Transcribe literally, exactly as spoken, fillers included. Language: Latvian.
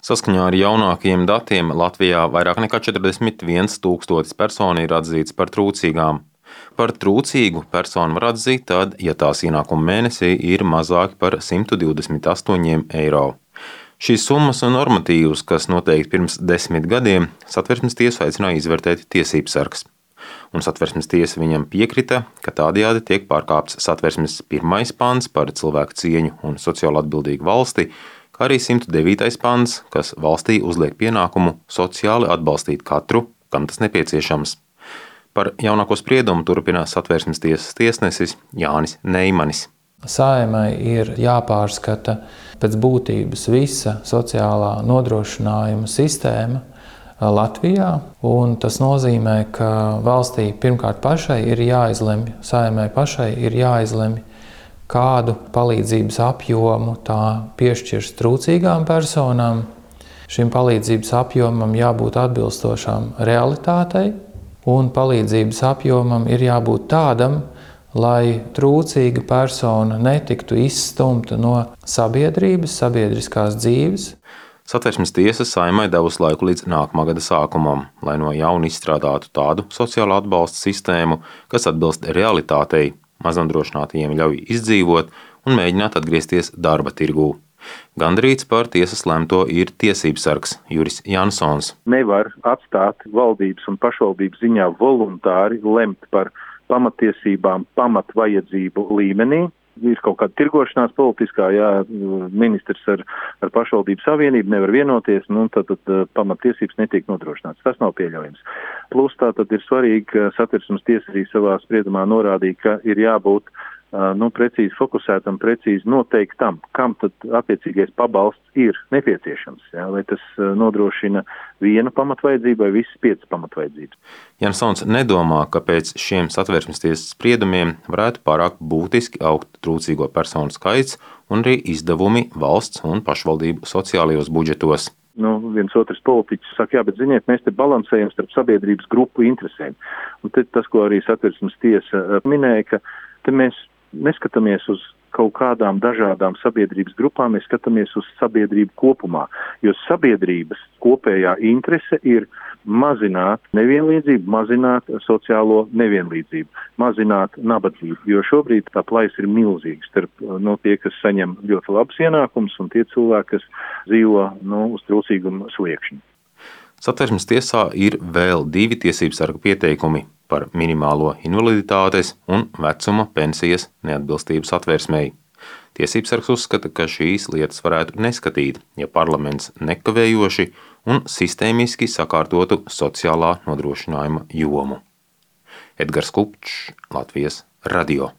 Saskaņā ar jaunākajiem datiem Latvijā vairāk nekā četrdesmit viens tūkstotis personu ir atzīts par trūcīgām. Par trūcīgu personu var atzīt tad, ja tās ienākumi mēnesī ir mazāki par simt divdesmit astoņiem eiro. Šīs summas un normatīvus, kas noteikti pirms desmit gadiem, Satversmes tiesa aicināja izvērtēt tiesības sargs. Un Satversmes tiesa viņam piekrita, ka tādējādi tiek pārkāpts Satversmes pirmais pants par cilvēku cieņu un sociāli atbildīgu valsti, kā arī simt devītais pants, kas valstī uzliek pienākumu sociāli atbalstīt katru, kam tas nepieciešams. Par jaunāko spriedumu turpinās Satversmes tiesas tiesnesis Jānis Neimanis. Saeimai ir jāpārskata pēc būtības visa sociālā nodrošinājuma sistēma Latvijā, un tas nozīmē, ka valstī pirmkārt pašai ir jāizlemj, Saeimai pašai ir jāizlemj, kādu palīdzības apjomu tā piešķirs trūcīgām personām. Šim palīdzības apjomam jābūt atbilstošām realitātei, un palīdzības apjomam ir jābūt tādam, lai trūcīga persona netiktu izstumta no sabiedrības, sabiedriskās dzīves. Satversmes tiesa Saeimai devusi laiku līdz nākamā gada sākumam, lai no jauna izstrādātu tādu sociālo atbalsta sistēmu, kas atbilst realitātei, maznodrošinātajiem ļauj izdzīvot un mēģināt atgriezties darba tirgū. Gandrīz par tiesas lemto ir tiesības sargs Juris Jansons. Nevar atstāt valdības un pašvaldības ziņā voluntāri lemt par pamatiesībām, pamatvajadzību līmenī. Ir kaut kāda tirgošanās politiskā, jā, ministrs ar, ar pašvaldību savienību nevar vienoties, nu, tad, tad pamatiesības netiek nodrošināts. Tas nav pieļaujams. Plus tā tad ir svarīgi, ka Satversmes tiesa arī savā spriedumā norādīja, ka ir jābūt nu, precīzi fokusētam, precīzi noteiktam, kam tad attiecīgais pabalsts ir nepieciešams, jā, vai tas nodrošina vienu pamatvajadzību vai visas piecas pamatvajadzības. Jansons nedomā, ka pēc šiem Satversmes tiesas spriedumiem varētu pārāk būtiski augt trūcīgo personu skaits un arī izdevumi valsts un pašvaldību sociālajos budžetos. Nu, viens otrs politiķis saka, jā, bet ziniet, mēs te balansējam starp sabiedrības grupu interesēm. Un te tas, ko arī Satversmes tiesa minēja, ka te mēs neskatāmies uz kaut kādām dažādām sabiedrības grupām, mēs skatāmies uz sabiedrību kopumā, jo sabiedrības kopējā interese ir mazināt nevienlīdzību, mazināt sociālo nevienlīdzību, mazināt nabadzību, jo šobrīd tā plaisa ir milzīga starp no tie, kas saņem ļoti labus ienākumus un tie cilvēki, kas dzīvo no, uz trūcīguma sliekšņa. Satversmes tiesā ir vēl divi tiesības sarga pieteikumi par minimālo invaliditātes un vecuma pensijas neatbilstību Satversmei. Tiesības sargs uzskata, ka šīs lietas varētu neskatīt, ja parlaments nekavējoši un sistēmiski sakārtotu sociālā nodrošinājuma jomu. Edgars Kupčs, Latvijas radio.